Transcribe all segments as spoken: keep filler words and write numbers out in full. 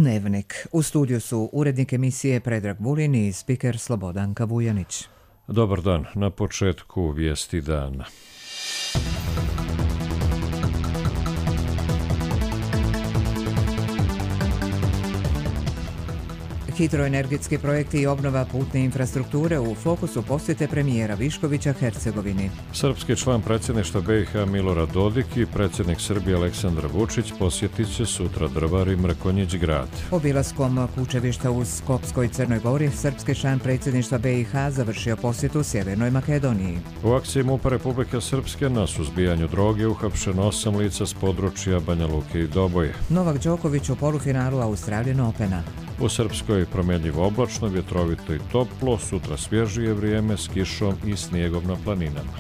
Dnevnik. U studiju su urednik emisije Predrag Vulin i spiker Slobodanka Vujanić. Dobar dan, na početku vijesti dana. Hidroenergetski projekti i obnova putne infrastrukture u fokusu posjete premijera Viškovića Hercegovini. Srpski član predsjedništva B i H Milorad Dodik i predsjednik Srbije Aleksandar Vučić posjetit će sutra Drvar i Mrkonjić grad. Obilaskom kućevišta u Skopskoj Crnoj Gori, srpski član predsjedništva B i H završio posjetu Sjevernoj Makedoniji. U akciji MUP-a Republike Srpske na suzbijanju droge uhapšeno osam lica s područja Banja Luke i Doboje. Novak Đoković u polufinalu Australian Opena. U Srpskoj promjenjivo oblačno, vjetrovito i toplo, sutra svježije vrijeme s kišom i snijegom na planinama.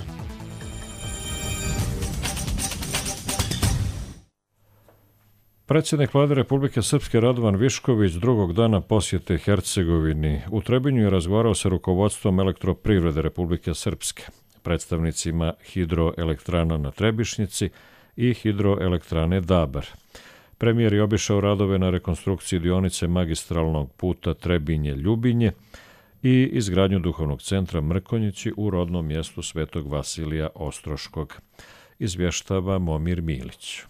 Predsjednik Vlade Republike Srpske Radovan Višković drugog dana posjete Hercegovini u Trebinju je razgovarao sa rukovodstvom Elektroprivrede Republike Srpske, predstavnicima hidroelektrana na Trebišnjici i hidroelektrane Dabar. Premijer je obišao radove na rekonstrukciji dionice magistralnog puta Trebinje-Ljubinje i izgradnju duhovnog centra Mrkonjići u rodnom mjestu Svetog Vasilija Ostroškog. Izvještava Momir Milić.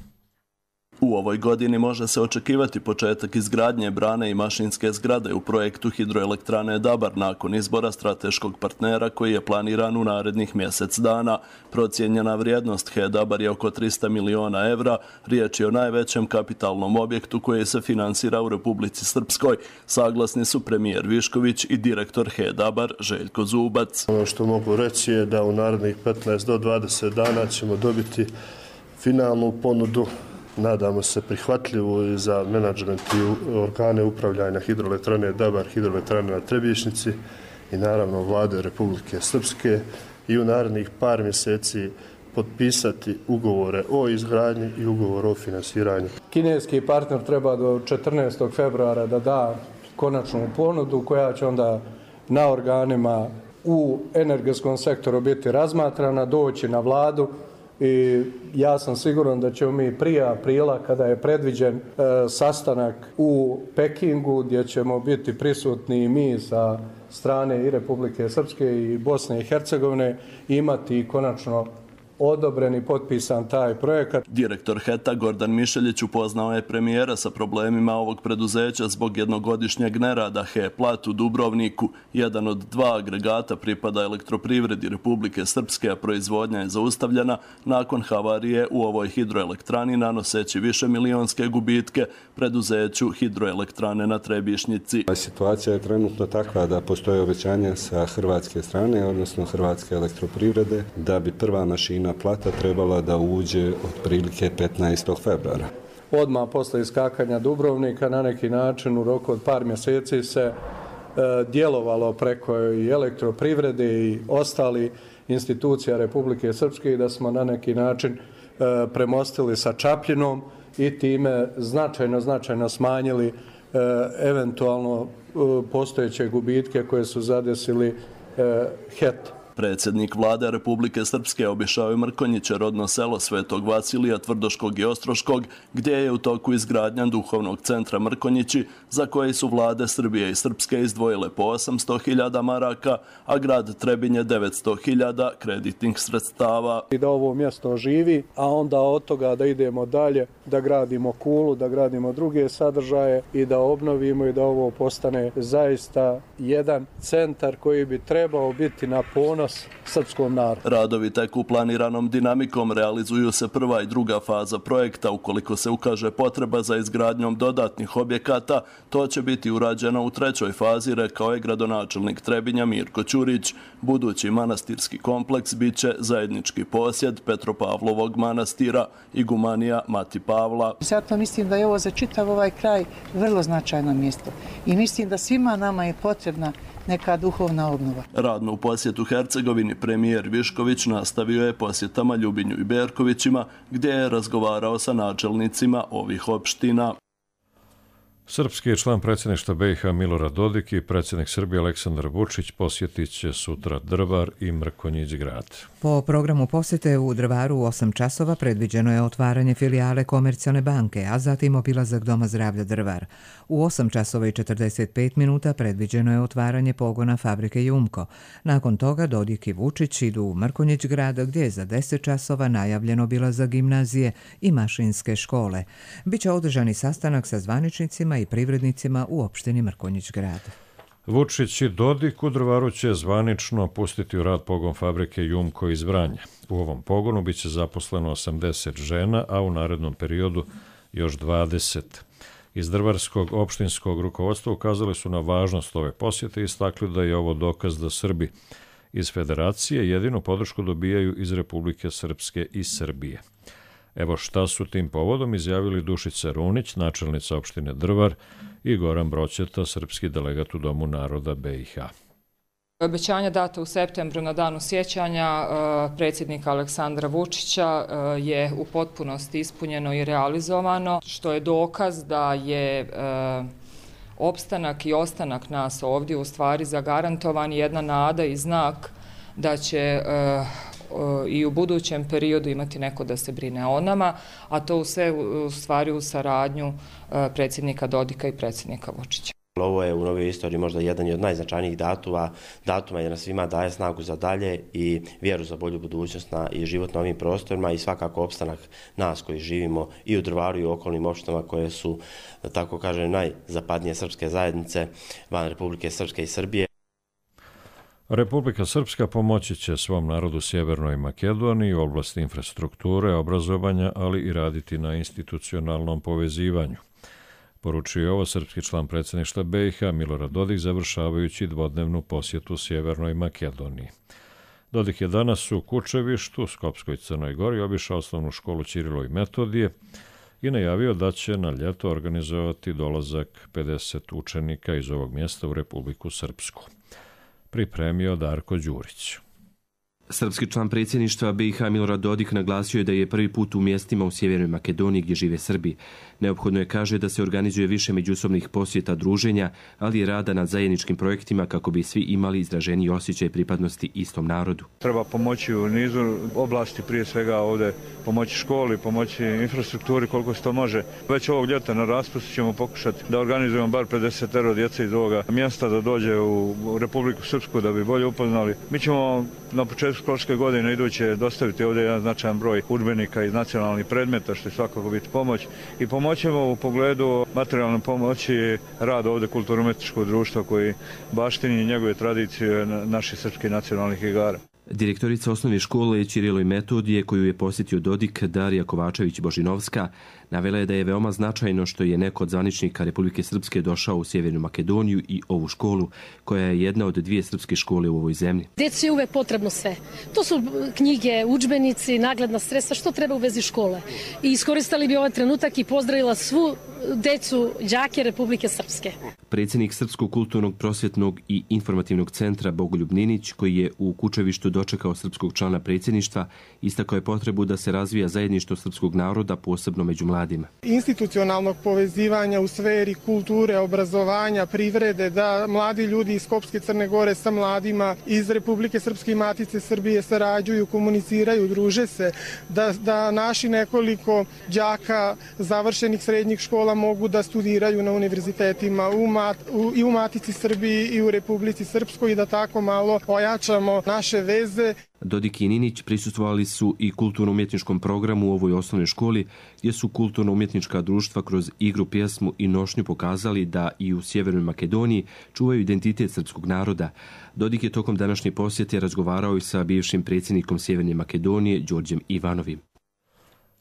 U ovoj godini može se očekivati početak izgradnje brane i mašinske zgrade u projektu hidroelektrane Dabar nakon izbora strateškog partnera koji je planiran u narednih mjesec dana. Procijenjena vrijednost H E Dabar je oko tristo miliona evra. Riječ je o najvećem kapitalnom objektu koji se finansira u Republici Srpskoj. Saglasni su premijer Višković i direktor H E Dabar Željko Zubac. Ono što mogu reći je da u narednih petnaest do dvadeset dana ćemo dobiti finalnu ponudu, nadamo se prihvatljivu i za menadžment i organe upravljanja hidroelektrane Dabar, hidroelektrane na Trebišnjici i naravno Vlade Republike Srpske i u narednih par mjeseci potpisati ugovore o izgradnji i ugovor o finansiranju. Kineski partner treba do četrnaestog februara da da konačnu ponudu koja će onda na organima u energetskom sektoru biti razmatrana, doći na vladu. I ja sam siguran da ćemo mi prije aprila, kada je predviđen e, sastanak u Pekingu, gdje ćemo biti prisutni i mi sa strane i Republike Srpske i Bosne i Hercegovine, imati konačno odobren i potpisan taj projekat. Direktor H E T-a Gordan Mišeljić upoznao je premijera sa problemima ovog preduzeća zbog jednogodišnjeg nerada H E Plat u Dubrovniku. Jedan od dva agregata pripada Elektroprivredi Republike Srpske, a proizvodnja je zaustavljena nakon havarije u ovoj hidroelektrani nanoseći više milionske gubitke preduzeću hidroelektrane na Trebišnjici. Situacija je trenutno takva da postoje obećanja sa hrvatske strane, odnosno Hrvatske elektroprivrede, da bi prva mašina plata trebala da uđe otprilike petnaestog februara. Odmah posle iskakanja Dubrovnika na neki način u roku od par mjeseci se e, djelovalo preko i elektroprivrede i ostali institucija Republike Srpske i da smo na neki način e, premostili sa Čapljinom i time značajno, značajno smanjili e, eventualno e, postojeće gubitke koje su zadesili e, H E T. Predsjednik Vlade Republike Srpske obišao je Mrkonjiće, rodno selo Svetog Vasilija Tvrdoškog i Ostroškog, gdje je u toku izgradnja duhovnog centra Mrkonjići, za koji su vlade Srbije i Srpske izdvojile po osamsto hiljada maraka, a grad Trebinje devetsto hiljada kreditnih sredstava. I da ovo mjesto živi, a onda od toga da idemo dalje, da gradimo kulu, da gradimo druge sadržaje i da obnovimo i da ovo postane zaista jedan centar koji bi trebao biti na ponos srpskom narodu. Radovi teku planiranom dinamikom, realizuju se prva i druga faza projekta. Ukoliko se ukaže potreba za izgradnjom dodatnih objekata, to će biti urađeno u trećoj fazi, rekao je gradonačelnik Trebinja Mirko Ćurić. Budući manastirski kompleks bit će zajednički posjed Petropavlovog manastira i gumanija Mati Pavla. Zato mislim da je ovo za čitav ovaj kraj vrlo značajno mjesto i mislim da svima nama je potrebna neka duhovna obnova. Radnu posjetu Hercegovini premijer Višković nastavio je posjetama Ljubinju i Berkovićima, gdje je razgovarao sa načelnicima ovih opština. Srpski član predsjedništva B i H Milorad Dodik i predsjednik Srbije Aleksandar Vučić posjetit će sutra Drvar i Mrkonjić Grad. Po programu posjete u Drvaru u osam časova predviđeno je otvaranje filijale Komercijalne banke, a zatim obilazak Doma zdravlja Drvar. U osam časova i četrdeset pet minuta predviđeno je otvaranje pogona fabrike Jumko. Nakon toga Dodik i Vučić idu u Mrkonjić Grad, gdje je za deset časova najavljen obilazak gimnazije i mašinske škole. Biće održani sastanak sa zvaničnicima i privrednicima u opštini Mrkonjić Grad. Vučić i Dodik u Drvaru će zvanično pustiti u rad pogon fabrike Jumko iz Vranja. U ovom pogonu biće zaposleno osamdeset žena, a u narednom periodu još dvadeset. Iz drvarskog opštinskog rukovodstva ukazali su na važnost ove posjete i istakli da je ovo dokaz da Srbi iz Federacije jedinu podršku dobijaju iz Republike Srpske i Srbije. Evo šta su tim povodom izjavili Dušica Runić, načelnica opštine Drvar, i Goran Broćeta, srpski delegat u Domu naroda B i H. Obećanja data u septembru na danu sjećanja predsjednika Aleksandra Vučića je u potpunosti ispunjeno i realizovano, što je dokaz da je opstanak i ostanak nas ovdje u stvari zagarantovan, jedna nada i znak da će i u budućem periodu imati neko da se brine o nama, a to sve u stvari u saradnju predsjednika Dodika i predsjednika Vučića. Ovo je u novoj istoriji možda jedan od najznačajnijih datuma, datuma jer nas svima daje snagu za dalje i vjeru za bolju budućnost na, i život na ovim prostorima i svakako opstanak nas koji živimo i u Drvaru i u okolnim opštinama koje su, da tako kažem, najzapadnije srpske zajednice van Republike Srpske i Srbije. Republika Srpska pomoći će svom narodu Sjevernoj Makedoniji u oblasti infrastrukture, obrazovanja, ali i raditi na institucionalnom povezivanju. Poručio je ovo srpski član predsjedništva B i H Milorad Dodik završavajući dvodnevnu posjetu Sjevernoj Makedoniji. Dodik je danas u Kučevištu, Skopskoj Crnoj Gori, obišao osnovnu školu Ćirilo i Metodije i najavio da će na ljeto organizovati dolazak pedeset učenika iz ovog mjesta u Republiku Srpsku. Pripremio Darko Đurić. Srpski član predsjedništva B i H Milorad Dodik naglasio je da je prvi put u mjestima u Sjevernoj Makedoniji gdje žive Srbi. Neophodno je, kaže, da se organizuje više međusobnih posjeta druženja, ali i rada nad zajedničkim projektima kako bi svi imali izraženiji osjećaj pripadnosti istom narodu. Treba pomoći u nizu oblasti, prije svega ovdje pomoći školi, pomoći infrastrukturi koliko se to može. Već ovog ljeta na raspustu ćemo pokušati da organizujemo bar pedeset djece iz ovoga mjesta da dođe u Republiku Srpsku da bi bolje upoznali. Mi ćemo na početku školske godine iduće dostaviti ovdje jedan značajan broj udžbenika iz nacionalnih predmeta, što je svakako biti pomoć. I pomoćemo u pogledu materijalne pomoći rada ovdje kulturno-umjetničkog društva koji baštini njegove tradicije naših srpskih nacionalnih igara. Direktorica osnovne škole Ćirilo i Metodije, koju je posjetio Dodik, Darija Kovačević-Božinovska, navela je da je veoma značajno što je neko od zvaničnika Republike Srpske došao u Sjevernu Makedoniju i ovu školu, koja je jedna od dvije srpske škole u ovoj zemlji. Deci je uvek potrebno sve. To su knjige, udžbenici, nagledna sredstva, što treba u vezi škole. I iskoristili bi ovaj trenutak i pozdravila svu decu, đake Republike Srpske. Predsjednik Srpskog kulturnog, prosvjetnog i informativnog centra Bogoljub Ninić, koji je u Kučevištu dočekao srpskog člana predsjedništva, istakao je potrebu da se razvija zajedništvo srpskog naroda, posebno među mladima. Institucionalnog povezivanja u sferi kulture, obrazovanja, privrede, da mladi ljudi iz Skopske Crne Gore sa mladima iz Republike Srpske i Matice Srbije sarađuju, komuniciraju, druže se, da, da naši nekoliko đaka završenih srednjih škola mogu da studiraju na univerzitetima u mat, u, i u Matici Srbiji i u Republici Srpskoj i da tako malo ojačamo naše veze. Dodik i Ninić prisustvovali su i kulturno-umjetničkom programu u ovoj osnovnoj školi, gdje su kulturno-umjetnička društva kroz igru, pjesmu i nošnju pokazali da i u Sjevernoj Makedoniji čuvaju identitet srpskog naroda. Dodik je tokom današnje posjete razgovarao i sa bivšim predsjednikom Sjeverne Makedonije, Đorđem Ivanovim.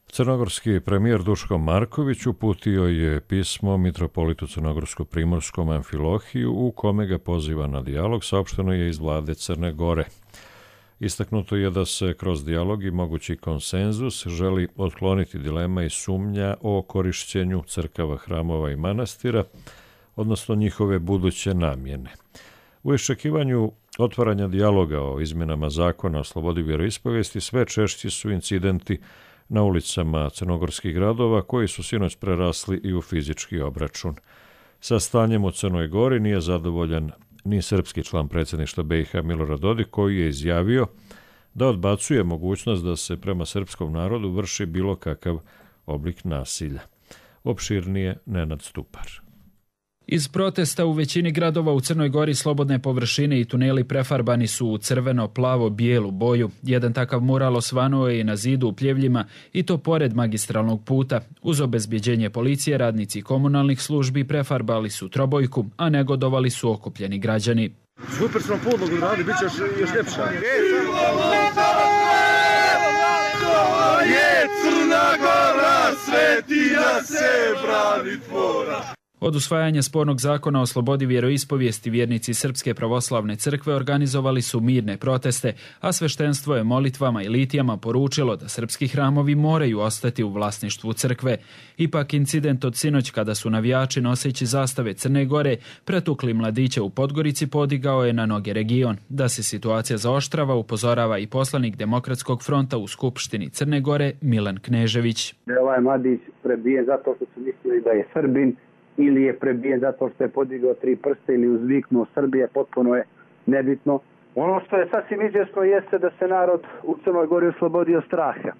Crnogorski premijer Duško Marković uputio je pismo mitropolitu Crnogorsko-primorskom Amfilohiju u kome ga poziva na dijalog, saopšteno je iz vlade Crne Gore. Istaknuto je da se kroz dijalog i mogući konsenzus želi otkloniti dilema i sumnja o korišćenju crkava, hramova i manastira, odnosno njihove buduće namjene. U iščekivanju otvaranja dijaloga o izmjenama zakona o slobodi vjeroispovijesti sve češći su incidenti na ulicama crnogorskih gradova koji su sinoć prerasli i u fizički obračun. Sa stanjem u Crnoj Gori nije zadovoljan ni srpski član predsjedništva B i H Milorad Dodik, koji je izjavio da odbacuje mogućnost da se prema srpskom narodu vrši bilo kakav oblik nasilja. Opširnije Nenad Stupar. Iz protesta u većini gradova u Crnoj Gori slobodne površine i tuneli prefarbani su u crveno, plavo, bijelu boju. Jedan takav mural osvanuo je i na zidu u Pljevljima, i to pored magistralnog puta. Uz obezbjeđenje policije, radnici komunalnih službi prefarbali su trobojku, a negodovali su okupljeni građani. Super smo podlogu radi, bit će još, još ljepša. Je Crna Gora, svetinja se brani tvora. Od usvajanja spornog zakona o slobodi vjeroispovijesti vjernici Srpske pravoslavne crkve organizovali su mirne proteste, a sveštenstvo je molitvama i litijama poručilo da srpski hramovi moraju ostati u vlasništvu crkve. Ipak incident od sinoć, kada su navijači noseći zastave Crne Gore pretukli mladiće u Podgorici, podigao je na noge region. Da se situacija zaoštrava upozorava i poslanik Demokratskog fronta u Skupštini Crne Gore Milan Knežević. Da je ovaj mladić prebijen zato što su mislili da je Srbin, ili je prebijen zato što je podigao tri prste ili uzviknuo Srbije, potpuno je nebitno. Ono što je sasvim izvjesno jeste da se narod u Crnoj Gori oslobodio straha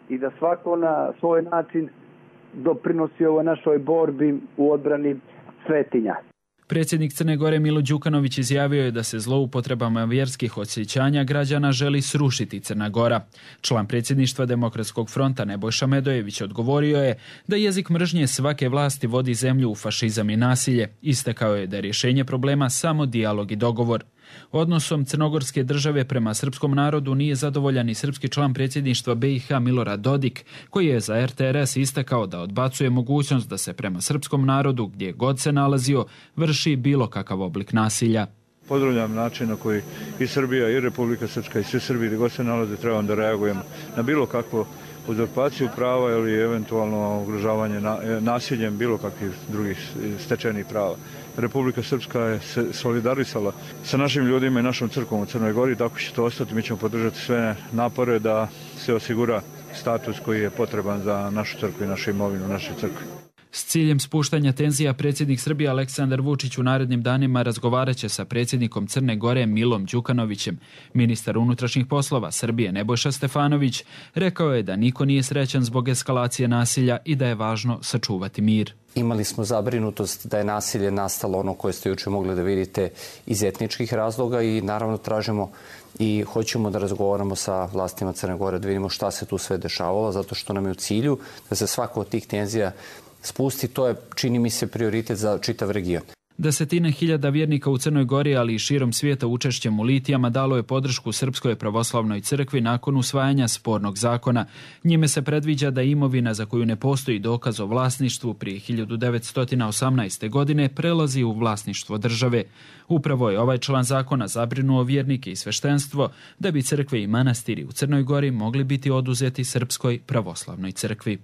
i da svako na svoj način doprinosi ovoj našoj borbi u odbrani svetinja. Predsjednik Crne Gore Milo Đukanović izjavio je da se zloupotrebama vjerskih osjećanja građana želi srušiti Crna Gora. Član predsjedništva Demokratskog fronta Nebojša Medojević odgovorio je da jezik mržnje svake vlasti vodi zemlju u fašizam i nasilje. Istakao je da je rješenje problema samo dijalog i dogovor. Odnosom crnogorske države prema srpskom narodu nije zadovoljan i srpski član predsjedništva B i H Milorad Dodik, koji je za R T R S istakao da odbacuje mogućnost da se prema srpskom narodu, gdje god se nalazio, vrši bilo kakav oblik nasilja. Pozdravljam način na koji i Srbija i Republika Srpska i svi Srbi gdje god se nalaze trebamo da reagujemo na bilo kakvu uzurpaciju prava ili eventualno ugrožavanje nasiljem bilo kakvih drugih stečenih prava. Republika Srpska je se solidarisala sa našim ljudima i našom crkvom u Crnoj Gori, tako će to ostati. Mi ćemo podržati sve napore da se osigura status koji je potreban za našu crkvu i našu imovinu, naše crkve. S ciljem spuštanja tenzija predsjednik Srbije Aleksandar Vučić u narednim danima razgovarat će sa predsjednikom Crne Gore Milom Đukanovićem. Ministar unutrašnjih poslova Srbije Nebojša Stefanović rekao je da niko nije srećan zbog eskalacije nasilja i da je važno sačuvati mir. Imali smo zabrinutost da je nasilje nastalo, ono koje ste jučer mogli da vidite, iz etničkih razloga i naravno tražimo i hoćemo da razgovaramo sa vlastima Crne Gore, da vidimo šta se tu sve dešavalo, zato što nam je u cilju da se svako od tih tenzija spusti. To je, čini mi se, prioritet za čitav region. Desetine hiljada vjernika u Crnoj Gori, ali i širom svijeta učešćem u litijama dalo je podršku Srpskoj pravoslavnoj crkvi nakon usvajanja spornog zakona. Njime se predviđa da imovina za koju ne postoji dokaz o vlasništvu prije hiljadu devetsto osamnaeste. godine prelazi u vlasništvo države. Upravo je ovaj član zakona zabrinuo vjernike i sveštenstvo da bi crkve i manastiri u Crnoj Gori mogli biti oduzeti Srpskoj pravoslavnoj crkvi.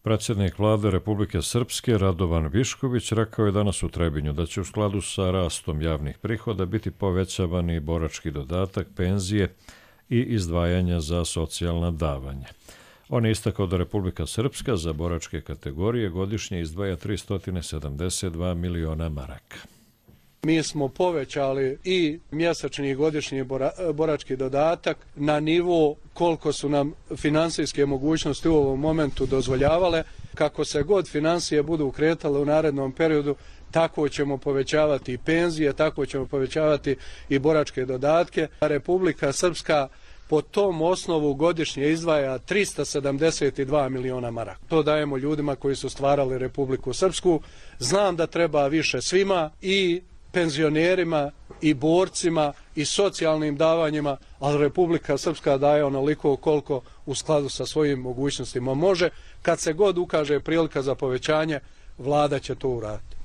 Predsjednik vlade Republike Srpske Radovan Višković rekao je danas u Trebinju da će u skladu sa rastom javnih prihoda biti povećavani borački dodatak, penzije i izdvajanja za socijalna davanja. On je istakao da Republika Srpska za boračke kategorije godišnje izdvaja tristo sedamdeset dva miliona maraka. Mi smo povećali i mjesečni i godišnji borački dodatak na nivo koliko su nam finansijske mogućnosti u ovom momentu dozvoljavale. Kako se god financije budu kretale u narednom periodu, tako ćemo povećavati i penzije, tako ćemo povećavati i boračke dodatke. Republika Srpska po tom osnovu godišnje izdvaja tristo sedamdeset dva miliona maraka. To dajemo ljudima koji su stvarali Republiku Srpsku. Znam da treba više svima, i penzionerima i borcima i socijalnim davanjima, ali Republika Srpska daje onoliko koliko u skladu sa svojim mogućnostima može. Kad se god ukaže prilika za povećanje, vlada će to uraditi.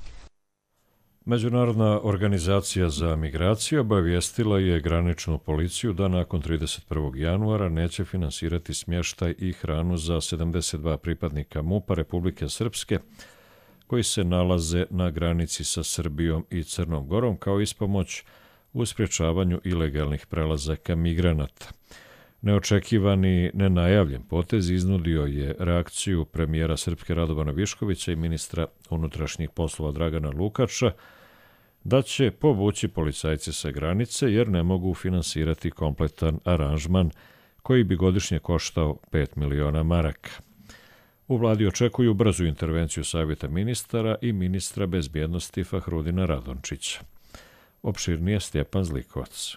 Međunarodna organizacija za migracije obavijestila je graničnu policiju da nakon trideset prvog januara neće finansirati smještaj i hranu za sedamdeset dva pripadnika M U P-a Republike Srpske koji se nalaze na granici sa Srbijom i Crnom Gorom kao ispomoć u sprječavanju ilegalnih prelazaka migranata. Neočekivani, nenajavljen potez iznudio je reakciju premijera Srpske Radovana Viškovića i ministra unutrašnjih poslova Dragana Lukača da će povući policajce sa granice jer ne mogu finansirati kompletan aranžman koji bi godišnje koštao pet miliona maraka. U vladi očekuju brzu intervenciju Savjeta ministara i ministra bezbjednosti Fahrudina Radončića. Opširnije Stjepan Zlikovac.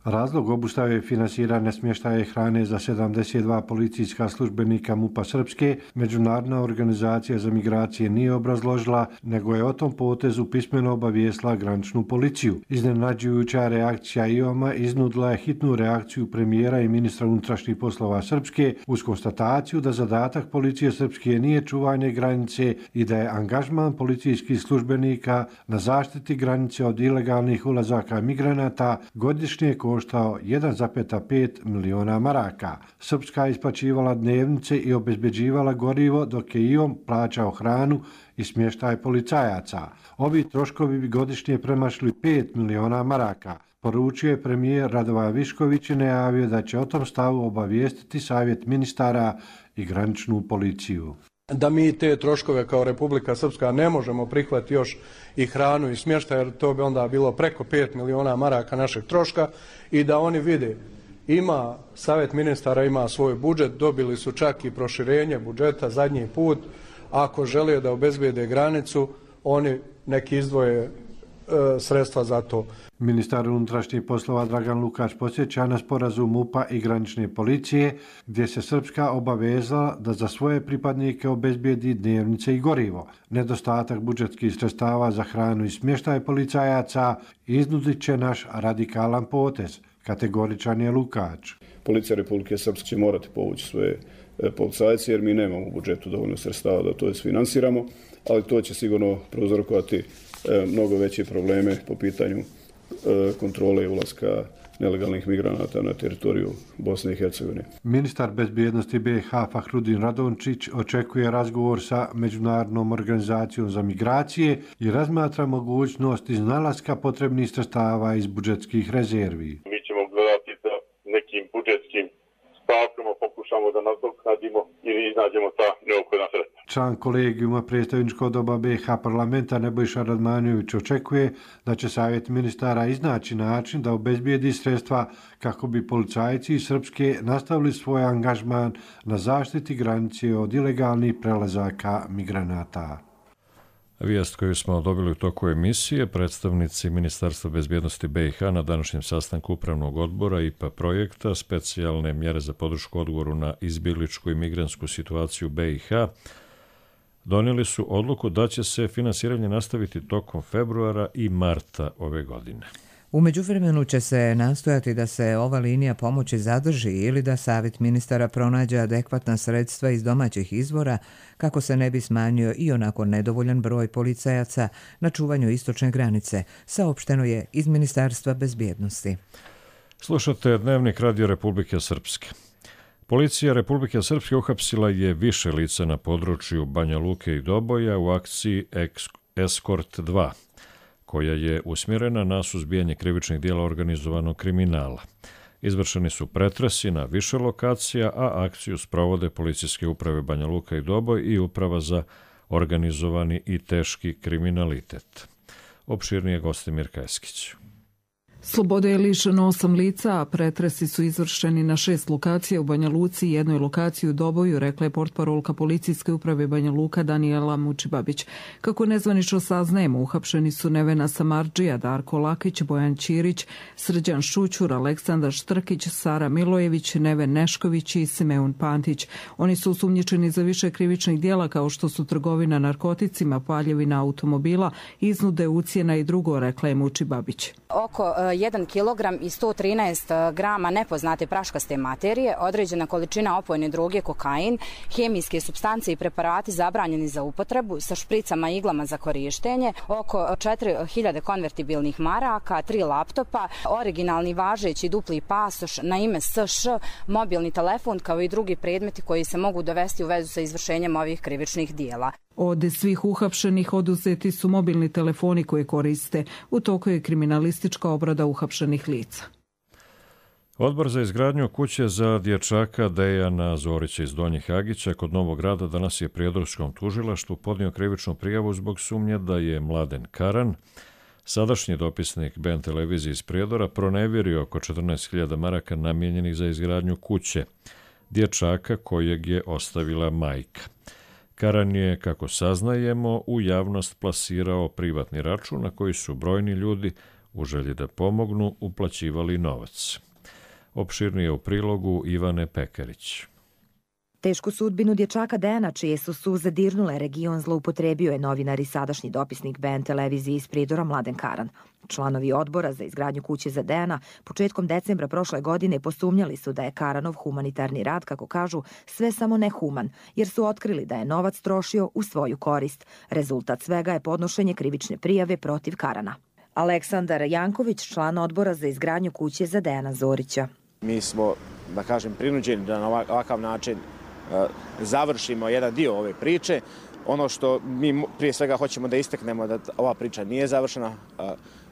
Razlog obustave je finansiranje smještaja hrane za sedamdeset dva policijska službenika MUP-a Srpske Međunarodna organizacija za migracije nije obrazložila, nego je o tom potezu pismeno obavijestila graničnu policiju. Iznenađujuća reakcija I O M-a iznudila je hitnu reakciju premijera i ministra unutrašnjih poslova Srpske uz konstataciju da zadatak policije Srpske nije čuvanje granice i da je angažman policijskih službenika na zaštiti granice od ilegalnih ulazaka migranata godišnje koštao jedan zarez pet miliona maraka. Srpska je isplaćivala dnevnice i obezbeđivala gorivo, dok je I O M plaćao hranu i smještaj policajaca. Ovi troškovi bi godišnje premašili pet miliona maraka. Poručio je premijer Radovan Višković i najavio da će o tom stavu obavijestiti Savjet ministara i graničnu policiju. Da mi te troškove kao Republika Srpska ne možemo prihvatiti još i hranu i smještaj, jer to bi onda bilo preko pet miliona maraka našeg troška, i da oni vide, ima Savjet ministara, ima svoj budžet, dobili su čak i proširenje budžeta zadnji put, ako žele da obezbijede granicu, oni neki izdvoje e, sredstva za to. Ministar unutrašnjih poslova Dragan Lukač podsjeća na sporazum MUP-a i granične policije, gdje se Srpska obavezala da za svoje pripadnike obezbijedi dnevnice i gorivo. Nedostatak budžetskih sredstava za hranu i smještaj policajaca iznudit će naš radikalan potez, kategoričan je Lukač. Policija Republike Srpske će morati povući svoje policajce jer mi nemamo u budžetu dovoljno sredstava da to isfinansiramo, ali to će sigurno prouzrokovati mnogo veće probleme po pitanju kontrole ulaska nelegalnih migranata na teritoriju Bosne i Hercegovine. Ministar bezbjednosti B i H Fahrudin Radončić očekuje razgovor sa Međunarodnom organizacijom za migracije i razmatra mogućnost iznalaska potrebnih sredstava iz budžetskih rezervi. Mi ćemo gledati da nekim budžetskim stavkama pokušamo da nadoknadimo ili iznađemo ta neophodna sredstva. Član kolegijuma predstavničkog doba B i H parlamenta Nebojša Radmanović očekuje da će Savjet ministara iznaći način da obezbijedi sredstva kako bi policajci iz Srpske nastavili svoj angažman na zaštiti granice od ilegalnih prelazaka migranata. Vijest koju smo dobili u toku emisije, predstavnici Ministarstva bezbjednosti B i H na današnjem sastanku Upravnog odbora I P A projekta specijalne mjere za podršku odgovoru na izbjegličku i migrantsku situaciju B i H donijeli su odluku da će se finansiranje nastaviti tokom februara i marta ove godine. U međuvremenu će se nastojati da se ova linija pomoći zadrži ili da Savjet ministara pronađe adekvatna sredstva iz domaćih izvora kako se ne bi smanjio i onako nedovoljan broj policajaca na čuvanju istočne granice, saopšteno je iz Ministarstva bezbjednosti. Slušate Dnevnik Radio Republike Srpske. Policija Republike Srpske uhapsila je više lica na području Banja Luke i Doboja u akciji Eskort dva, koja je usmjerena na suzbijanje krivičnih dijela organizovanog kriminala. Izvršeni su pretresi na više lokacija, a akciju sprovode policijske uprave Banja Luka i Doboj i uprava za organizovani i teški kriminalitet. Opširnije Gostimir Kajskić. Slobode je lišeno osam lica, a pretresi su izvršeni na šest lokacija u Banja Luci i jednoj lokaciji u Doboju, rekla je portparolka policijske uprave Banja Luka Danijela Mučibabić. Kako nezvanično saznajemo, uhapšeni su Nevena Samardžija, Darko Lakić, Bojan Ćirić, Srđan Šućur, Aleksandar Štrkić, Sara Milojević, Neven Nešković i Simeon Pantić. Oni su osumnjičeni za više krivičnih dijela kao što su trgovina narkoticima, paljevina automobila, iznude, ucjena i drugo, rekla je Mučibabić. Oko jedan kilogram i sto trinaest grama nepoznate praškaste materije, određena količina opojne droge kokain, hemijske supstance i preparati zabranjeni za upotrebu sa špricama i iglama za korištenje, oko četiri hiljade konvertibilnih maraka, tri laptopa, originalni važeći dupli pasoš na ime S Š, mobilni telefon kao i drugi predmeti koji se mogu dovesti u vezu sa izvršenjem ovih krivičnih dijela. Od svih uhapšenih oduzeti su mobilni telefoni koje koriste. U toku je kriminalistička obrada uhapšenih lica. Odbor za izgradnju kuće za dječaka Dejana Zorića iz Donjih Hagića kod Novog Grada danas je prijedorskom tužilaštvu podnio krivičnu prijavu zbog sumnje da je Mladen Karan, sadašnji dopisnik B N televizije iz Prijedora, pronevjerio oko četrnaest hiljada maraka namijenjenih za izgradnju kuće dječaka kojeg je ostavila majka. Karan je, kako saznajemo, u javnost plasirao privatni račun na koji su brojni ljudi u želji da pomognu uplaćivali novac. Opširnije u prilogu Ivane Pekarić. Tešku sudbinu dječaka Dejana, čije su suze dirnule region, zloupotrebio je novinar i sadašnji dopisnik B N televizije iz Prijedora Mladen Karan. Članovi odbora za izgradnju kuće za Dejana početkom decembra prošle godine posumnjali su da je Karanov humanitarni rad, kako kažu, sve samo nehuman, jer su otkrili da je novac trošio u svoju korist. Rezultat svega je podnošenje krivične prijave protiv Karana. Aleksandar Janković, član odbora za izgradnju kuće za Dejana Zorića. Mi smo, da kažem, prinuđeni da na ovakav način završimo jedan dio ove priče. Ono što mi prije svega hoćemo da istaknemo da ova priča nije završena.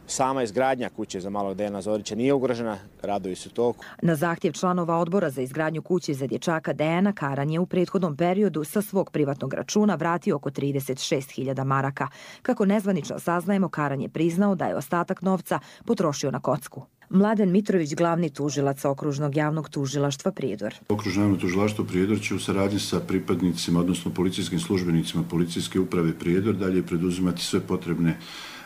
Sama izgradnja kuće za malog Dejana Zorića nije ugrožena, radovi su toku. Na zahtjev članova odbora za izgradnju kuće za dječaka Dejana, Karan je u prethodnom periodu sa svog privatnog računa vratio oko trideset šest hiljada maraka. Kako nezvanično saznajemo, Karan je priznao da je ostatak novca potrošio na kocku. Mladen Mitrović, glavni tužilac Okružnog javnog tužilaštva Prijedor. Okružno javno tužilaštvo Prijedor će u saradnji sa pripadnicima, odnosno policijskim službenicima Policijske uprave Prijedor dalje preduzimati sve potrebne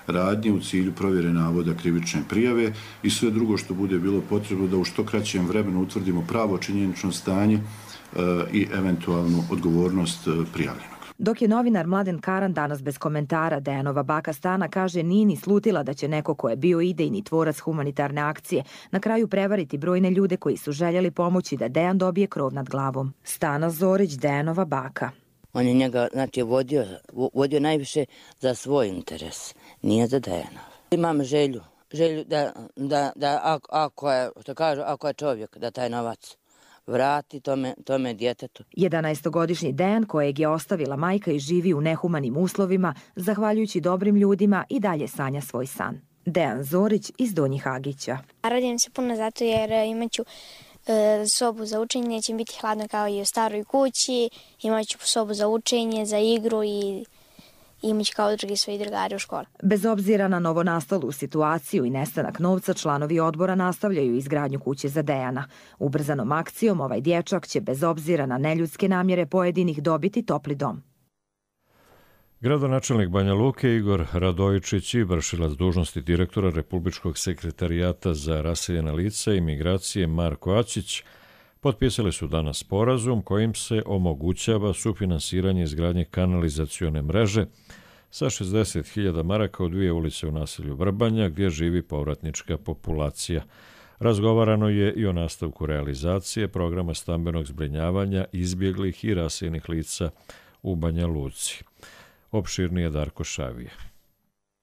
radnje u cilju provjere navoda krivične prijave i sve drugo što bude bilo potrebno da u što kraćem vremenu utvrdimo pravo činjenično stanje e, i eventualnu odgovornost prijavljenog. Dok je novinar Mladen Karan danas bez komentara, Dejanova baka Stana kaže nije ni slutila da će neko ko je bio idejni tvorac humanitarne akcije na kraju prevariti brojne ljude koji su željeli pomoći da Dejan dobije krov nad glavom. Stana Zorić, Dejanova baka. On je njega, znači, vodio, vodio najviše za svoj interes, nije za Dejana. Imam želju, želju da, da, da ako, ako, je, što kažu, ako je čovjek, da taj novac vrati tome, tome djetetu. jedanaestogodišnji Dejan, kojeg je ostavila majka i živi u nehumanim uslovima, zahvaljujući dobrim ljudima i dalje sanja svoj san. Dejan Zorić iz Donjih Hagića. Radim se puno zato jer imaću e, sobu za učenje, neće biti hladno kao i u staroj kući, imaću sobu za učenje, za igru i imaću kao drugi svoji drugari u školi. Bez obzira na novonastalu situaciju i nestanak novca, članovi odbora nastavljaju izgradnju kuće za Dejana. Ubrzanom akcijom ovaj dječak će bez obzira na neljudske namjere pojedinih dobiti topli dom. Gradonačelnik Banja Luke Igor Radojičić i vršilac dužnosti direktora Republičkog sekretarijata za raseljena lica i migracije Marko Ačić potpisali su danas sporazum kojim se omogućava sufinansiranje izgradnje kanalizacione mreže sa šezdeset hiljada maraka u dvije ulice u naselju Vrbanja gdje živi povratnička populacija. Razgovarano je i o nastavku realizacije programa stambenog zbrinjavanja izbjeglih i raseljenih lica u Banja Luci. Opširnije Darko Šavije.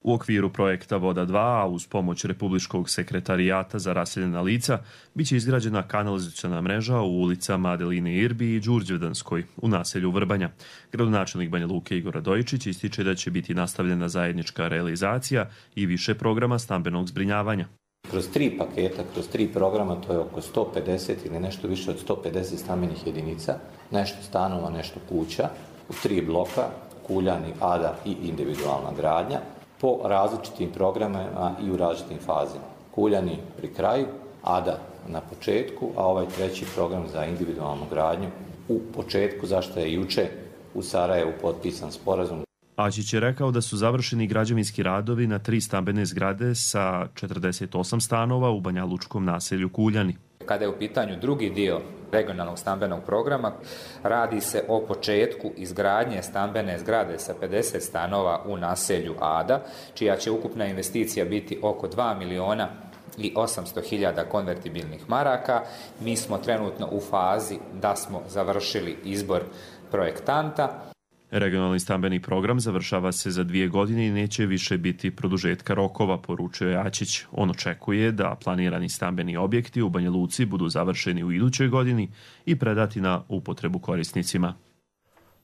U okviru projekta Voda dva, a uz pomoć Republičkog sekretarijata za raseljena lica, biće izgrađena kanalizaciona mreža u ulicama Adeline Irbi i Đurđevdanskoj u naselju Vrbanja. Gradonačelnik Banja Luke Igor Radojičić ističe da će biti nastavljena zajednička realizacija i više programa stambenog zbrinjavanja. Kroz tri paketa, kroz tri programa, to je oko sto pedeset ili nešto više od sto pedeset stambenih jedinica, nešto stanova, nešto kuća, u tri bloka, Kuljani, Ada i individualna gradnja, po različitim programima i u različitim fazima. Kuljani pri kraju, Ada na početku, a ovaj treći program za individualnu gradnju u početku, zašto je juče u Sarajevu potpisan sporazum. Ačić je rekao da su završeni građevinski radovi na tri stambene zgrade sa četrdeset osam stanova u banjalučkom naselju Kuljani. Kada je u pitanju drugi dio regionalnog stambenog programa, radi se o početku izgradnje stambene zgrade sa pedeset stanova u naselju Ada, čija će ukupna investicija biti oko dva miliona i osamsto hiljada konvertibilnih maraka. Mi smo trenutno u fazi da smo završili izbor projektanta. Regionalni stambeni program završava se za dvije godine i neće više biti produžetka rokova, poručio je Ačić. On očekuje da planirani stambeni objekti u Banja Luci budu završeni u idućoj godini i predati na upotrebu korisnicima.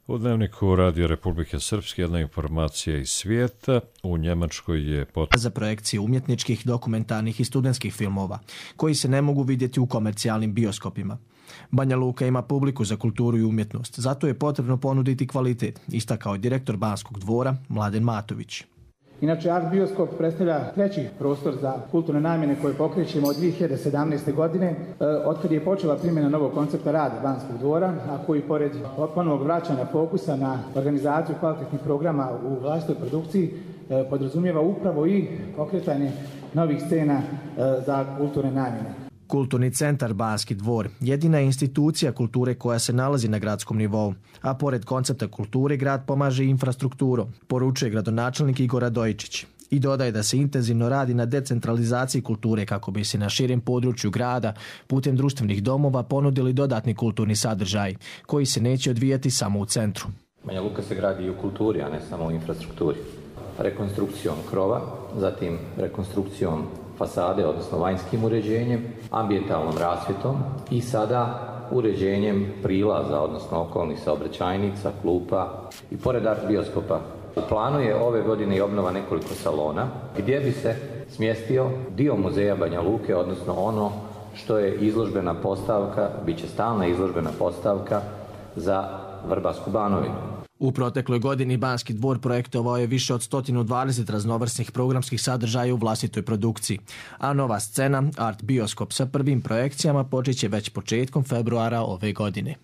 U dnevniku Radio Republike Srpske jedna informacija iz svijeta. U Njemačkoj je pot... za projekcije umjetničkih, dokumentarnih i studentskih filmova, koji se ne mogu vidjeti u komercijalnim bioskopima. Banja Luka ima publiku za kulturu i umjetnost, zato je potrebno ponuditi kvalitet, istakao je direktor Banskog dvora Mladen Matović. Inače, Art Bioskop predstavlja treći prostor za kulturne namjene koje pokrećemo od dvije hiljade sedamnaeste. godine, otkad je počela primjena novog koncepta rada Banskog dvora, a koji pored ponovnog vraćanja fokusa na organizaciju kvalitetnih programa u vlastitoj produkciji podrazumijeva upravo i pokretanje novih scena za kulturne namjene. Kulturni centar Banski dvor jedina je institucija kulture koja se nalazi na gradskom nivou, a pored koncepta kulture grad pomaže i infrastrukturu, poručuje gradonačelnik Igor Radojičić. I dodaje da se intenzivno radi na decentralizaciji kulture kako bi se na širem području grada putem društvenih domova ponudili dodatni kulturni sadržaj koji se neće odvijati samo u centru. Banja Luka se gradi i u kulturi, a ne samo u infrastrukturi. Rekonstrukcijom krova, zatim rekonstrukcijom fasade, odnosno vanjskim uređenjem, ambijentalnom rasvjetom i sada uređenjem prilaza, odnosno okolnih saobraćajnica, klupa i pored art bioskopa. U planu je ove godine i obnova nekoliko salona gdje bi se smjestio dio muzeja Banja Luke, odnosno ono što je izložbena postavka, bit će stalna izložbena postavka za Vrbasku Banovinu. U protekloj godini Banski dvor projektovao je više od sto dvadeset raznovrsnih programskih sadržaja u vlastitoj produkciji, a nova scena, Art Bioskop sa prvim projekcijama, počet će već početkom februara ove godine.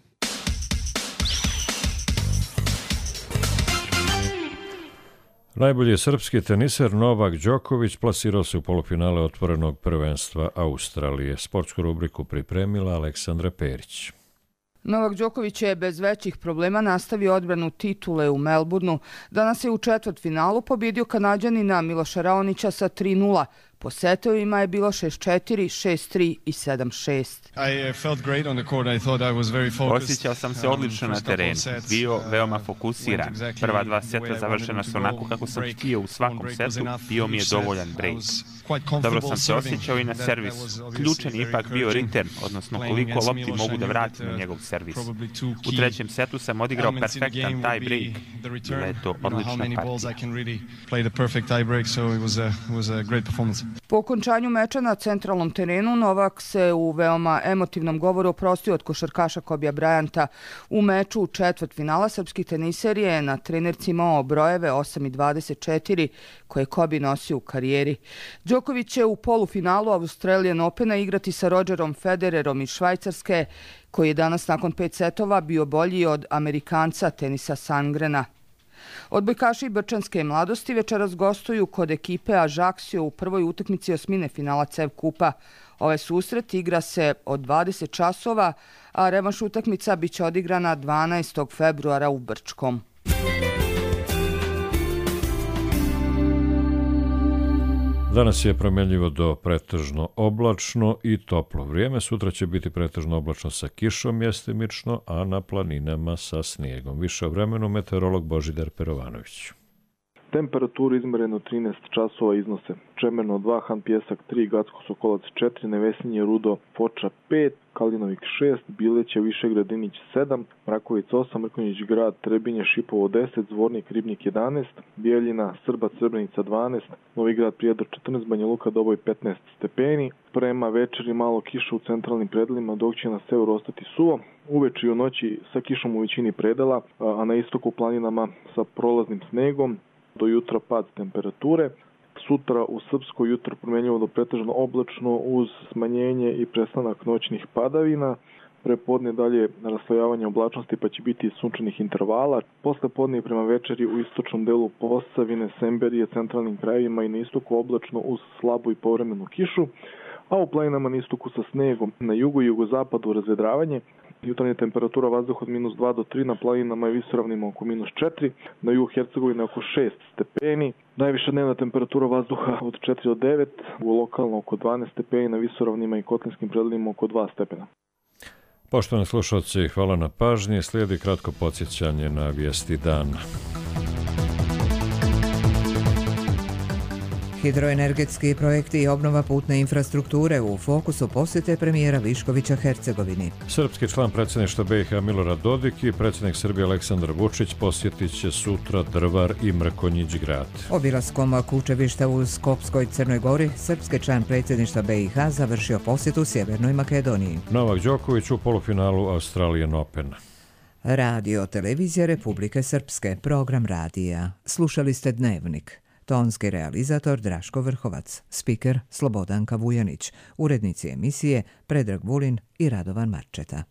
Najbolji srpski teniser Novak Đoković plasirao se u polufinale otvorenog prvenstva Australije. Sportsku rubriku pripremila Aleksandra Perić. Novak Đoković je bez većih problema nastavio odbranu titule u Melbourneu. Danas je u četvrtfinalu pobjedio Kanađanina Miloša Raonića sa tri nula. Po setovima je bilo šest četiri, šest tri i sedam šest. Osjećao sam se odlično na terenu, bio veoma fokusiran. Prva dva seta završena su onako kako sam htio u svakom setu, bio mi je dovoljan break. Dobro sam se osjećao i na servisu. Ključan je ipak bio return, odnosno koliko lopti mogu da vratim na njegov servis. U trećem setu sam odigrao perfektan tie break. Bila je to odlična partija. Po okončanju meča na centralnom terenu Novak se u veoma emotivnom govoru oprostio od košarkaša Kobija Bryanta. U meču u četvrtfinala srpski teniser je na trenerci imao brojeve osam i dvadeset četiri koje Kobi nosio u karijeri. Đoković će u polufinalu Australian Opena igrati sa Rogerom Federerom iz Švajcarske, koji je danas nakon pet setova bio bolji od Amerikanca Tenisa Sangrena. Odbojkaši brčanske mladosti večeras gostuju kod ekipe Ajaxio u prvoj utakmici osmine finala C E V Kupa. Ovaj susret igra se od dvadeset časova, a revanš utakmica biće odigrana dvanaestog februara u Brčkom. Danas je promjenljivo do pretežno oblačno i toplo vrijeme. Sutra će biti pretežno oblačno sa kišom mjestimično, a na planinama sa snijegom. Više o vremenu meteorolog Božidar Perovanović. Temperaturu izmjereno trinaest časova iznose Čemerno dva, Han Pjesak tri, Gacko Sokolac četiri, Nevesinje Rudo Foča pet, Kalinovik šest, Bileće Višegradinić sedam, Mrakovic osam, Mrkonjić Grad, Trebinje Šipovo deset, Zvornik Ribnik jedanaest, Bijeljina Srbac Srebrenica dvanaest, Novi Grad Prijedor četrnaest, Banja Luka Doboj petnaest stepeni. Prema večeri malo kiša u centralnim predelima, dok će na severu ostati suvo. Uveče i u noći sa kišom u većini predela, a na istoku planinama sa prolaznim snegom. Do jutra pad temperature. Sutra u Srpskoj jutro promjenjivo do pretežno oblačno uz smanjenje i prestanak noćnih padavina. Prepodne dalje raslojavanje oblačnosti pa će biti sunčanih intervala. Posle podne i prema večeri u istočnom delu Posavine, Semberije, centralnim krajevima i na istoku oblačno uz slabu i povremenu kišu. A u planinama na istoku sa snegom, na jugu i jugozapadu razvedravanje. Jutarnja temperatura vazduha od minus dva do tri, na planinama i visoravnima oko minus četiri, na jugu Hercegovine oko šest stepeni. Najviša dnevna temperatura vazduha od četiri do devet, u lokalno oko dvanaest stepeni, na visoravnima i kotlinskim predelima oko dva stepena. Poštovani slušalci, hvala na pažnji. Slijedi kratko podsjećanje na vijesti dana. Hidroenergetski projekti i obnova putne infrastrukture u fokusu posjete premijera Viškovića Hercegovini. Srpski član predsjedništva B i H Milorad Dodik i predsjednik Srbije Aleksandar Vučić posjetit će sutra Drvar i Mrkonjić grad. Obilaskom kućevišta u Skopskoj Crnoj Gori, srpski član predsjedništva B i H završio posjetu Sjevernoj Makedoniji. Novak Đoković u polufinalu Australian Opena. Radio Televizija Republike Srpske, program radija. Slušali ste Dnevnik. Tonski realizator Draško Vrhovac, spiker Slobodanka Vujanić, urednici emisije Predrag Vulin i Radovan Marčeta.